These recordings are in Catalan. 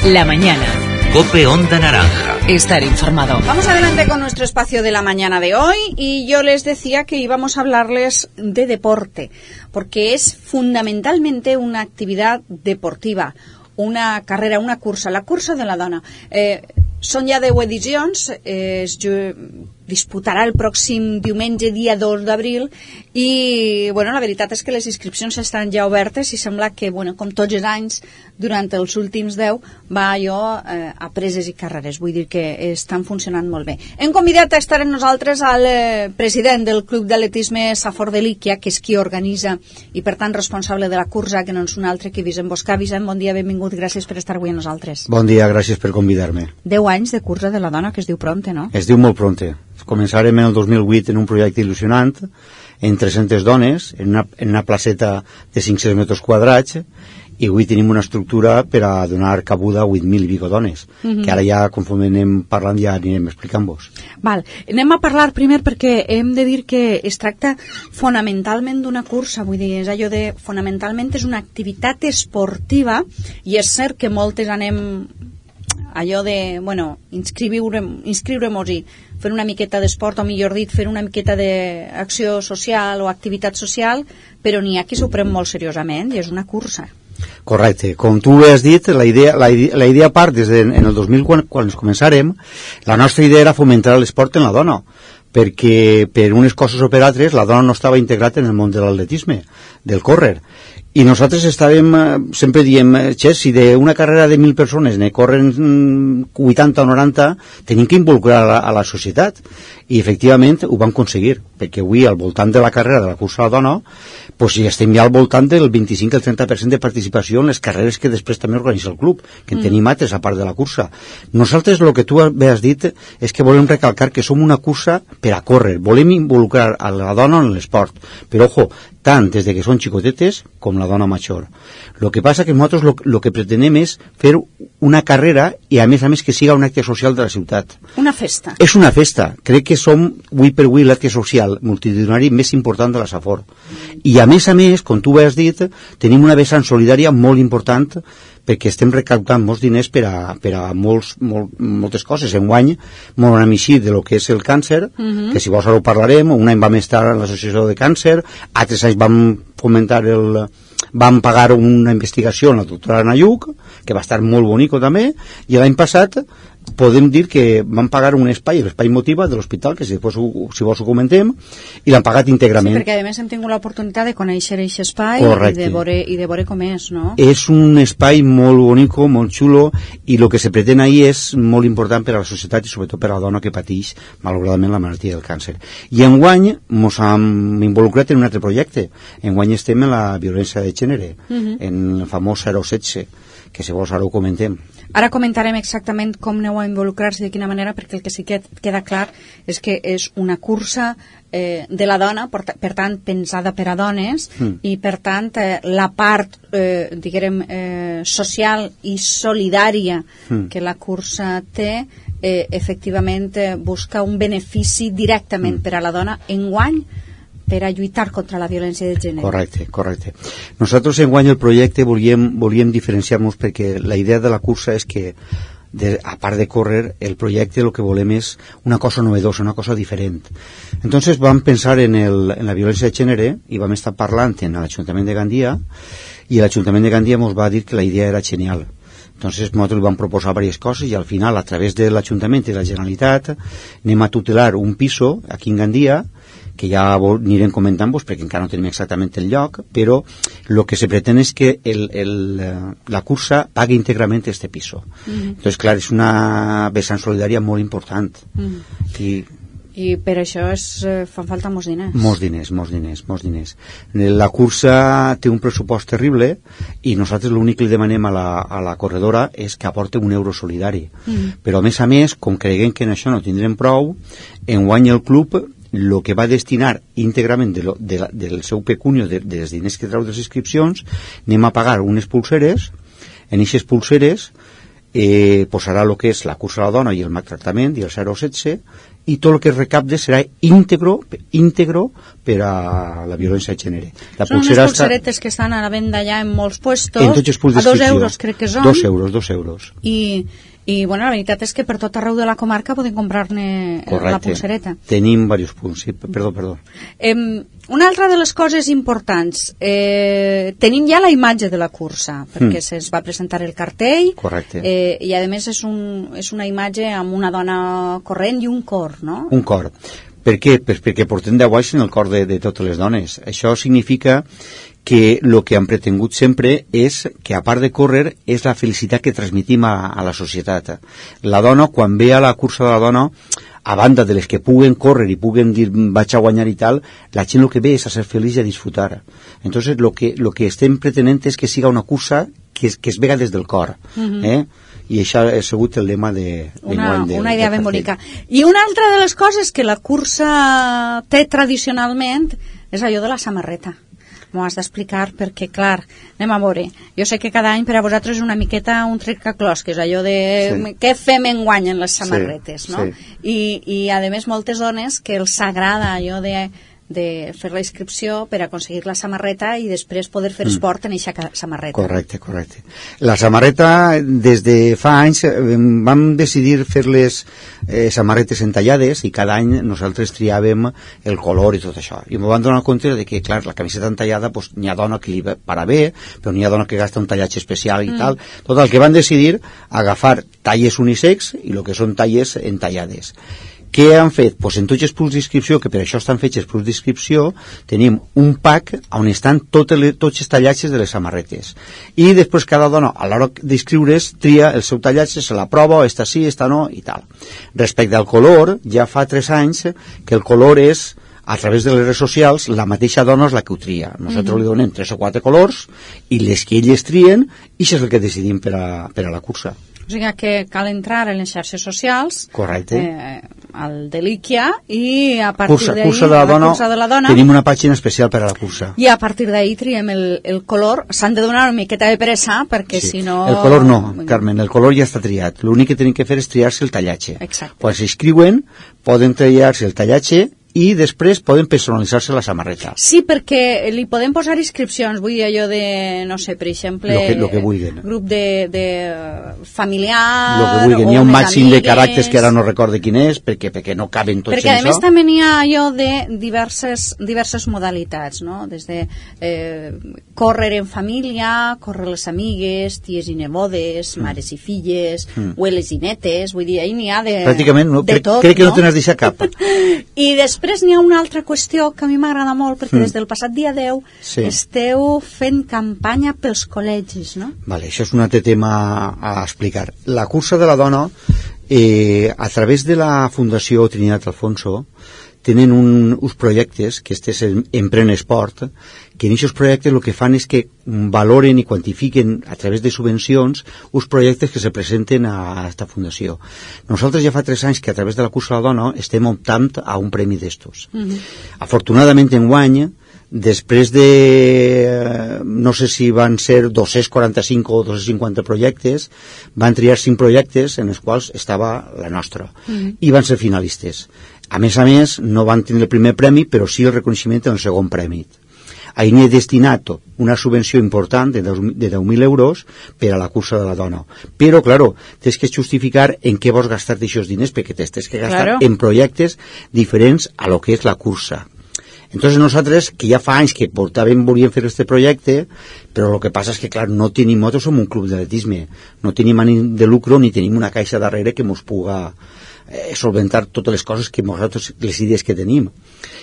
La mañana. COPE Onda Naranja. Estar informado. Vamos adelante con nuestro espacio de la mañana de hoy y yo les decía que íbamos a hablarles de deporte, porque es fundamentalmente una actividad deportiva, una carrera, una cursa, la cursa de la dona. Són ja 10 edicions, es disputarà el pròxim diumenge, dia 2 d'abril, i bueno, la veritat és que les inscripcions estan ja obertes i sembla que, bueno, com tots els anys, durant els últims 10, va allò a preses i carreres. Vull dir que estan funcionant molt bé. Hem convidat a estar amb nosaltres al president del Club d'Atletisme Safor de Líquia, que és qui organitza i, per tant, responsable de la cursa, que no és un altre que Vicent Boscà. Vicent, bon dia, benvingut, gràcies per estar avui amb nosaltres. Bon dia, gràcies per convidar-me. 10 anys de cursa de la dona, que es diu pronte, no? Es diu molt pronte. Començarem en el 2008 en un projecte il·lusionant, en 300 dones, en una placeta de 500 metres quadrats, i avui tenim una estructura per a donar cabuda a 8.000 i pico dones, que ara ja, conforme anem parlant, ja anirem explicant-vos. Val, anem a parlar primer perquè hem de dir que es tracta fonamentalment d'una cursa, vull dir, és allò de, fonamentalment és una activitat esportiva, i és cert que moltes anem allò de, bueno, inscriure-nos-hi, fer una miqueta d'esport, o millor dit, fer una miqueta d'acció social o activitat social, però n'hi ha qui s'ho pren molt seriosament i és una cursa. Correcte, com tu has dit, la idea part des en el 2000, quan ens començarem, la nostra idea era fomentar l'esport en la dona, perquè per unes coses o per altres la dona no estava integrat en el món de l'atletisme, del córrer. I nosaltres sempre diem, si d'una carrera de 1.000 persones ne corren 80 o 90, tenim que involucrar a la societat. I efectivament ho vam aconseguir, perquè avui al voltant de la carrera de la cursa a la dona ja estem ja al voltant del 25 al 30% de participació en les carreres que després també organitza el club, que en tenim altres a part de la cursa. Nosaltres el que tu has dit és que volem recalcar que som una cursa per a córrer, volem involucrar a la dona en l'esport, però ojo, tant des de que són xicotetes com la dona major. El que passa que nosaltres el que pretenem és fer una carrera i a més que siga un acte social de la ciutat. Una festa. És una festa. Crec que som, avui per avui, l'acte social multitudinari més important de la Safor. I a més, com tu has dit, tenim una vessant solidària molt important perquè estem recaptant molts diners per a moltes coses. Enguany, molt una missió de lo que és el càncer, que si vols ara ho parlarem, un any vam estar a l'associació de càncer, altres anys vam pagar una investigació a la doctora Nayuc, que va estar molt bonico també, i l'any passat podem dir que van pagar un espai, l'espai Motiva de l'hospital, que si vols ho comentem, i l'han pagat íntegrament. Sí, perquè a més hem tingut l'oportunitat de conèixer aquest espai i de veure com és, no? És un espai molt bonico, molt xulo, i el que se pretén ahir és molt important per a la societat i sobretot per a la dona que pateix malauradament la malaltia del càncer. I enguany ens hem involucrat en un altre projecte. Enguany estem en la violència de gènere, en el famós 016, que si vols ara ho comentem. Ara comentarem exactament com aneu a involucrar-se, de quina manera, perquè el que sí que queda clar és que és una cursa de la dona, per tant, pensada per a dones, i per tant, la part, diguem, social i solidària que la cursa té, efectivament, busca un benefici directament per a la dona enguany, per a lluitar contra la violència de gènere. Correcte. Nosaltres enguany el projecte volíem diferenciar-nos perquè la idea de la cursa és que, a part de córrer, el projecte el que volem és una cosa novedosa, una cosa diferent. Entonces vam pensar en la violència de gènere i vam estar parlant en l'Ajuntament de Gandia, i l'Ajuntament de Gandia ens va dir que la idea era genial. Entonces nosaltres vam proposar diverses coses i al final, a través de l'Ajuntament i de la Generalitat, anem a tutelar un piso aquí en Gandia, que ja anirem comentant-vos perquè encara no tenim exactament el lloc, però el que se pretén és que la cursa pagui íntegrament este piso. Entonces, clar, és una vessant solidària molt important. I per això fan falta molts diners. Molts diners. La cursa té un pressupost terrible i nosaltres l'únic que li demanem a la corredora és que aporte €1 solidari. Però a més, com creguem que en això no tindrem prou, enguany el club el que va destinar íntegrament del seu pecunio, dels diners que trau de les inscripcions, anem a pagar unes pulseres. En aquestes pulseres posarà el que és la cursa a la dona i el maltractament i el 016, i tot el que es recapte serà íntegro per a la violència de gènere. Són unes pulseretes que estan a la venda ja en molts puestos, en tots els punts a 2 euros crec que són. 2 euros. I bueno, la veritat és que per tot arreu de la comarca podem comprar-ne la pulsereta. Tenim diversos punts, sí, perdó. Una altra de les coses importants, tenim ja la imatge de la cursa, perquè se'ns va presentar el cartell. Correcte. I a més és una imatge amb una dona corrent i un cor, no? Un cor. Per què? Perquè portem 10 anys en el cor de totes les dones. Això significa que el que han pretengut sempre és que, a part de córrer, és la felicitat que transmitim a la societat. La dona, quan ve a la cursa de la dona, a banda de les que puguen córrer i puguen dir vaig a guanyar i tal, la gent el que ve és a ser feliç i a disfrutar. Entonces, lo que estem pretenent és que siga una cursa que es vega des del cor. I això ha sigut el lema una idea ben bonica. I una altra de les coses que la cursa té tradicionalment és allò de la samarreta. M'ho has d'explicar perquè, clar, anem a veure. Jo sé que cada any per a vosaltres és una miqueta un trencaclosques, allò de què fem enguany en les samarretes, no? I a més, moltes dones que els agrada allò de fer la inscripció per aconseguir la samarreta i després poder fer esport en aquesta samarreta. Correcte. La samarreta, des de fa anys, vam decidir fer les samarretes entallades i cada any nosaltres triàvem el color i tot això. I m'ho van donar compte de que, clar, la camiseta entallada, pues, n'hi ha dona que li para bé, però n'hi ha dona que gasta un tallatge especial i tal. Tot el que van decidir, agafar talles unisex i el que són talles entallades. Què han fet? Pues en tots els punts d'inscripció, que per això estan fets els punts d'inscripció, tenim un pack on estan tots els tallatges de les samarretes. I després cada dona, a l'hora d'inscriure's, tria el seu tallatge, se la prova, esta sí, esta no, i tal. Respecte al color, ja fa 3 anys que el color és, a través de les redes socials, la mateixa dona és la que ho tria. Nosaltres li donem 3 o 4 colors, i les que elles trien, i això és el que decidim per a la cursa. O sigui que cal entrar en les xarxes socials, al Delíquia, i a partir d'ahí, cursa de la dona, tenim una pàgina especial per a la cursa. I a partir d'ahí triem el color. S'han de donar una miqueta de pressa, perquè si no... El color no, Carmen, el color ja està triat. L'únic que tenim que fer és triar-se el tallatge. Exacte. Quan s'inscriuen, poden triar-se el tallatge i després poden personalitzar-se la samarreta. Sí, perquè li podem posar inscripcions, vull dir allò de, no sé, per exemple, lo que vulguin. Grup de familiar, lo que vulguin. Hi ha un màxim de caràcters que ara no recorde quin és, perquè no caben tots perquè, en això. Perquè a més també n'hi ha allò de diverses modalitats, no? Des de córrer en família, córrer les amigues, ties i nebodes, mares i filles, abueles i netes, vull dir, ahí n'hi ha de pràcticament, no? De tot, crec que no te n'has deixat cap. I després n'hi ha una altra qüestió que a mi m'agrada molt, perquè des del passat dia 10 esteu fent campanya pels col·legis, no? Vale, això és un altre tema a explicar. La cursa de la dona, a través de la Fundació Trinitat Alfonso, tenen uns projectes, que este és Emprèn Esport, que en aquests projectes el que fan és que valoren i quantifiquen a través de subvencions uns projectes que se presenten a aquesta fundació. Nosaltres ja fa 3 anys que a través de la cursa de la dona estem optant a un premi d'estos. Afortunadament enguany, després de no sé si van ser 245 o 250 projectes, van triar 5 projectes en els quals estava la nostra i van ser finalistes. A més, no van tenir el primer premi, però sí el reconeixement en el segon premi. Ahir n'he destinat una subvenció important de 10.000 euros per a la cursa de la dona. Però, claro, tens que justificar en què vols gastar d'aixòs diners, perquè tens que gastar en projectes diferents a lo que és la cursa. Entonces nosaltres, que ja fa anys que volíem fer aquest projecte, però el que passa és que, clar, no tenim, nosaltres som un club d'atletisme, no tenim ànim de lucro ni tenim una caixa darrere que mos puga solventar totes les coses que nosaltres, les idees que tenim.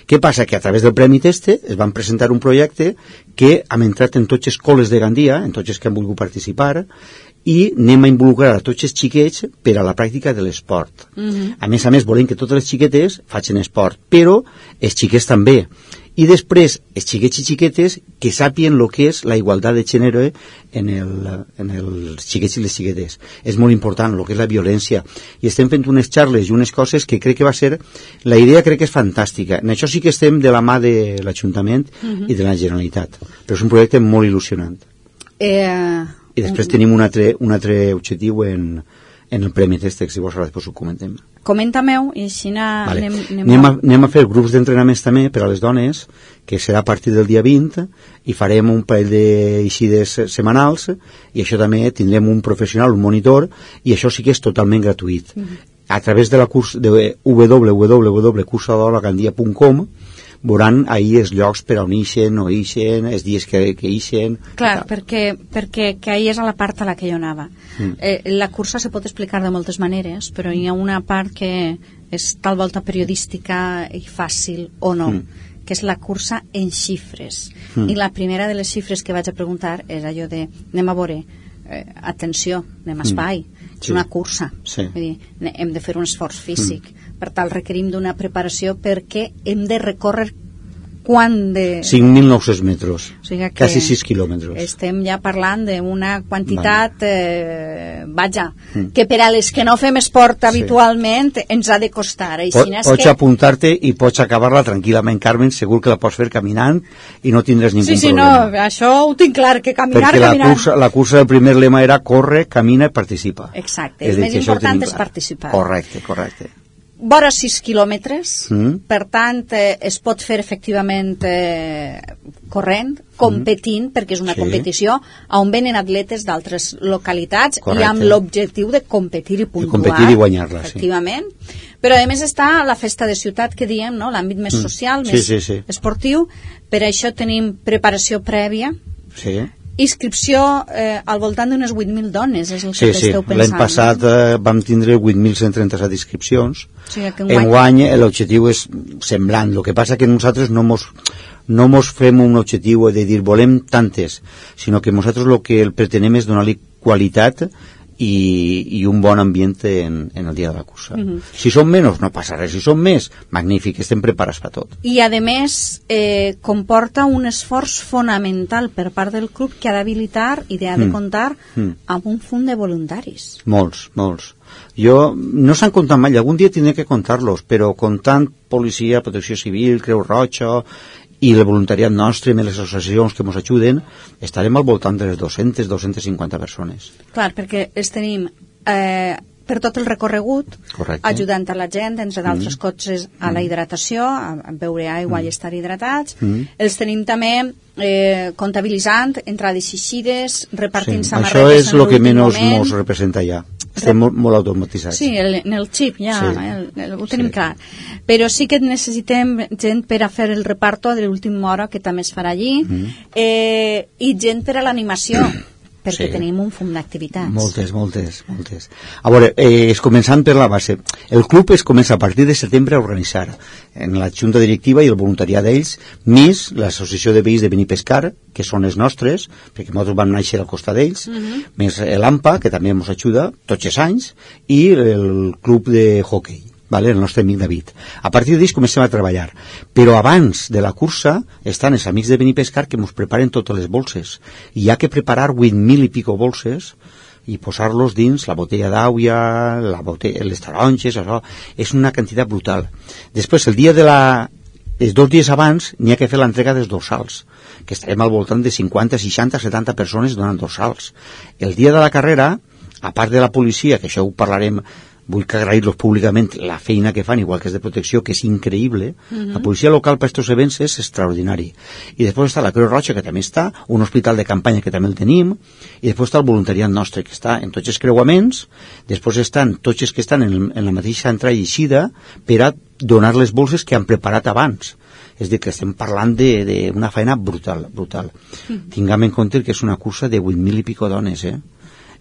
Què passa? Que a través del Premi Teste es van presentar un projecte que hem entrat en tots els col·les de Gandia, en tots els que han volgut participar, i anem a involucrar a tots els xiquets per a la pràctica de l'esport. A més, volem que totes les xiquetes facin esport, però els xiquets també. I després, els xiquets i xiquetes que sàpien el que és la igualtat de gènere en els xiquets i les xiquetes. És molt important, el que és la violència. I estem fent unes xarles i unes coses que crec que va ser... La idea crec que és fantàstica. En això sí que estem de la mà de l'Ajuntament i de la Generalitat. Però és un projecte molt il·lusionant. I després tenim un altre objectiu en en el Premi Testex, si vols ara després ho comentem. Comenta-m'ho i així vale. Anem a fer grups d'entrenaments també per a les dones, que serà a partir del dia 20, i farem un parell d'eixides setmanals, i això també tindrem un professional, un monitor, i això sí que és totalment gratuït. A través de la curs de www.cursadolagandia.com veuran ahir els llocs per on ixen, no ixen, els dies que ixen... Clar, perquè ahir és a la part a la que jo anava. La cursa se pot explicar de moltes maneres, però hi ha una part que és tal volta periodística i fàcil o no, que és la cursa en xifres. I la primera de les xifres que vaig a preguntar és allò de, anem a veure, atenció, anem a espai, és una cursa. Vull dir, hem de fer un esforç físic. Per tal, requerim d'una preparació perquè hem de recórrer quant de... 5.900 metres, o sigui quasi 6 quilòmetres. Estem ja parlant d'una quantitat, que per a les que no fem esport habitualment ens ha de costar. Pots apuntar-te i pots acabar-la tranquil·lament, Carmen, segur que la pots fer caminant i no tindràs ningú problema. Sí, no, això ho tinc clar, que caminar, perquè la cursa del primer lema era corre, camina i participa. Exacte, el més important és participar. Correcte. Vora 6 quilòmetres, per tant es pot fer efectivament corrent, competint, perquè és una competició on venen atletes d'altres localitats i amb l'objectiu de competir i puntuar. Competir i guanyar-la, efectivament. Però a més està la festa de ciutat que diem, no? L'àmbit més social, més esportiu. Per això tenim preparació prèvia. Inscripció al voltant d'unes 8.000 dones, és el que esteu pensant. L'any passat vam tindre 8.137 inscripcions. Enguany l'objectiu és semblant. El que passa que nosaltres no mos fem un objectiu de dir volem tantes, sinó que nosaltres el que pretenem és donar-li qualitat i un bon ambient en el dia de la cursa. Si són menys no passa res, si són més, magnífic, estem preparats per tot. I a més comporta un esforç fonamental per part del club que ha d'habilitar i ha de comptar amb un fons de voluntaris. Molts. No s'han comptat mai, algun dia tindré que comptar-los, però comptant policia, protecció civil, Creu Roja i el voluntariat nostre i les associacions que ens ajuden, estarem al voltant de les 200-250 persones. Clar, perquè els tenim per tot el recorregut, ajudant a la gent, entre d'altres coses, a la hidratació, a beure aigua i estar hidratats. Els tenim també comptabilitzant entrades i eixides, repartint samarretes en l'últim moment. Això és el que menys ens representa ja. Estem molt automatitzats. Sí, en el xip ja ho tenim clar. Però sí que necessitem gent per a fer el reparto de l'última hora, que també es farà allí, i gent per a l'animació, perquè tenim un fum d'activitats. Moltes. A veure, començant per la base. El club es comença a partir de setembre a organitzar en la junta directiva i el voluntariat d'ells, més l'associació de veïns de Benipescar, que són els nostres, perquè nosaltres vam néixer al costat d'ells, més l'AMPA, que també ens ajuda tots els anys, i el club de hockey, el nostre amic David. A partir d'ells comencem a treballar. Però abans de la cursa estan els amics de Benipescar que ens preparen totes les bolses. I hi ha que preparar 8.000 i pico bolses i posar-los dins la botella d'aigua, les taronges, això. És una quantitat brutal. Després, els 2 dies abans n'hi ha que fer l'entrega dels dorsals, que estarem al voltant de 50, 60, 70 persones donant dorsals. El dia de la carrera, a part de la policia, que això ho parlarem, vull que agrair-los públicament la feina que fan, igual que és de protecció, que és increïble. La policia local per aquests events és extraordinari. I després està la Creu Roja, que també està, un hospital de campanya que també el tenim, i després està el voluntariat nostre, que està en tots els creuaments, després estan tots els que estan en la mateixa entrada i eixida per a donar les bolses que han preparat abans. És a dir, que estem parlant d'una feina brutal. Tinguem en compte que és una cursa de 8.000 i pico dones,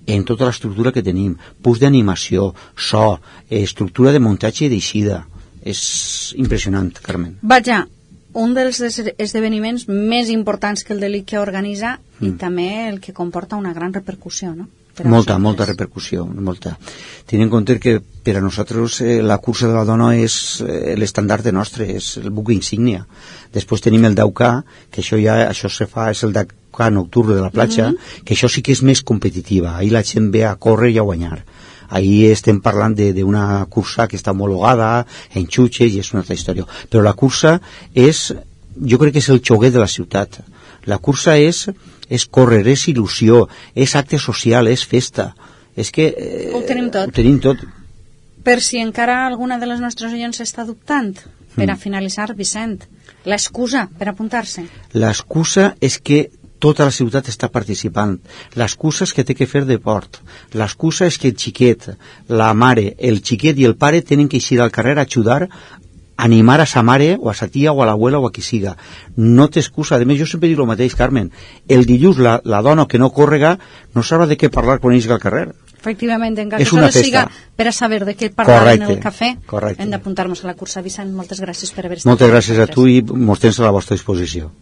en tota l'estructura que tenim, punts d'animació, so, estructura de muntatge i d'eixida. És impressionant, Carmen. Vaja, un dels esdeveniments més importants que el de l'ICA organitza i també el que comporta una gran repercussió, no? Molta repercussió, molta. Tenint en compte que per a nosaltres la cursa de la dona és l'estandard nostre, és el buc insígnia. Després tenim el Daucà, que això se fa, és el Daucà nocturn de la platja, que això sí que és més competitiva. Ahir la gent ve a córrer i a guanyar. Ahir estem parlant d'una cursa que està homologada, en xutxes, i és una altra història. Però la cursa jo crec que és el xoguet de la ciutat. La cursa és córrer, és il·lusió, és acte social, és festa. És que ho tenim tot. Ho tenim tot. Per si encara alguna de les nostres oients està dubtant, per a finalitzar, Vicent, l'excusa per apuntar-se. L'excusa és que tota la ciutat està participant. L'excusa és que té que fer deport. L'excusa és que el xiquet, la mare, el xiquet i el pare tenen que eixir al carrer a ajudar, animar a sa mare o a sa tia o a l'abuela o a qui siga. No té excusa. A més, jo sempre dic el mateix, Carmen. El dilluns la dona que no córrega no sabrà de què parlar quan eixi al carrer. Efectivament, encara que solo siga per a saber de què parlar en el cafè, hem d'apuntar-nos a la cursa. Vicent, moltes gràcies per haver estat. Moltes gràcies a tu i mos tens a la vostra disposició.